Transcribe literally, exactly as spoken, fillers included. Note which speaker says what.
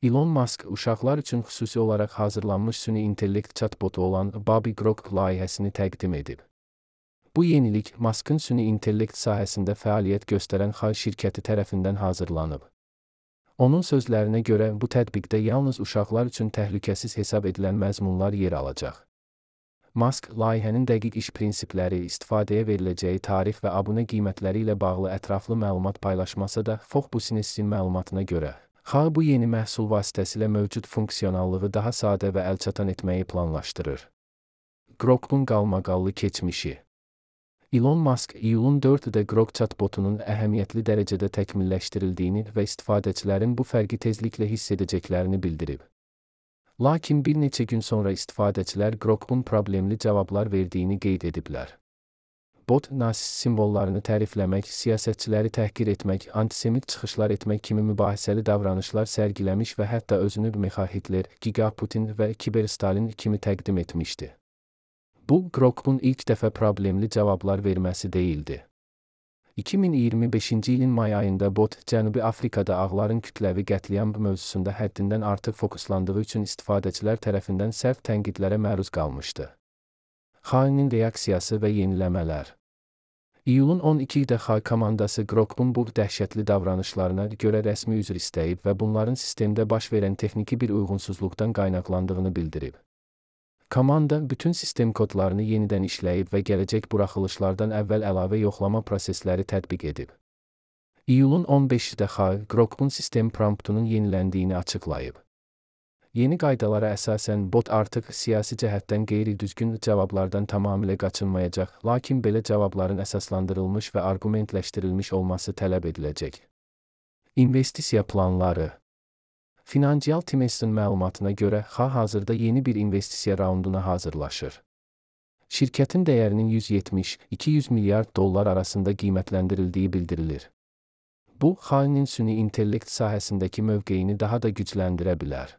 Speaker 1: Elon Musk uşaqlar üçün xüsusi olaraq hazırlanmış süni intellekt chatbotu olan Bobby Grok layihəsini təqdim edib. Bu yenilik Musk'ın süni intellekt sahəsində fəaliyyət göstərən Xay şirkəti tərəfindən hazırlanıb. Onun sözlərinə görə bu tətbiqdə yalnız uşaqlar üçün təhlükəsiz hesab edilən məzmunlar yer alacaq. Musk, layihənin dəqiq iş prinsipləri, istifadəyə veriləcəyi tarix və abunə qiymətləri ilə bağlı ətraflı məlumat paylaşmasa da, Fox Business-in məlumatına görə, Xay bu yeni məhsul vasitəsilə mövcud funksionallığı daha sadə və əlçatan etməyi planlaşdırır. Grok'un qalmaqallı keçmişi. Elon Musk, iyulun dördündə Grok chatbotunun əhəmiyyətli dərəcədə təkmilləşdirildiyini və istifadəçilərin bu fərqi tezliklə hiss edəcəklərini bildirib. Lakin bir neçə gün sonra istifadəçilər Grok'un problemli cavablar verdiyini qeyd ediblər. Bot, nasist simvollarını tərifləmək, siyasətçiləri təhqir etmək, antisemit çıxışlar etmək kimi mübahisəli davranışlar sərgiləmiş və hətta özünü Mikhail Hitler, Giga Putin və Kiber Stalin kimi təqdim etmişdi. Bu, Grok'un ilk dəfə problemli cavablar verməsi deyildi. iki min iyirmi beşinci ilin may ayında bot, Cənubi Afrikada ağların kütləvi qətliam mövzusunda həddindən artıq fokuslandığı üçün istifadəçilər tərəfindən sərt tənqidlərə məruz qalmışdı. Xay'nin reaksiyası və yeniləmələr. İyulun on ikisində Xay komandası Grok'un bu dəhşətli davranışlarına görə rəsmi üzr istəyib və bunların sistemdə baş verən texniki bir uyğunsuzluqdan qaynaqlandığını bildirib. Komanda bütün sistem kodlarını yenidən işləyib və gələcək buraxılışlardan əvvəl əlavə yoxlama prosesləri tətbiq edib. İyulun on beşində Xay, Grok'un sistem promptunun yeniləndiyini açıqlayıb. Yeni qaydalara əsasən bot artıq siyasi cəhətdən qeyri-düzgün cavablardan tamamilə qaçınmayacaq, lakin belə cavabların əsaslandırılmış və arqumentləşdirilmiş olması tələb ediləcək. İnvestisiya planları. Financial Times'in məlumatına görə, Xay hazırda yeni bir investisiya raunduna hazırlaşır. Şirkətin dəyərinin yüz yetmiş iki yüz milyard dollar arasında qiymətləndirildiyi bildirilir. Bu, Xay'nin süni intellekt sahəsindəki mövqeyini daha da gücləndirə bilər.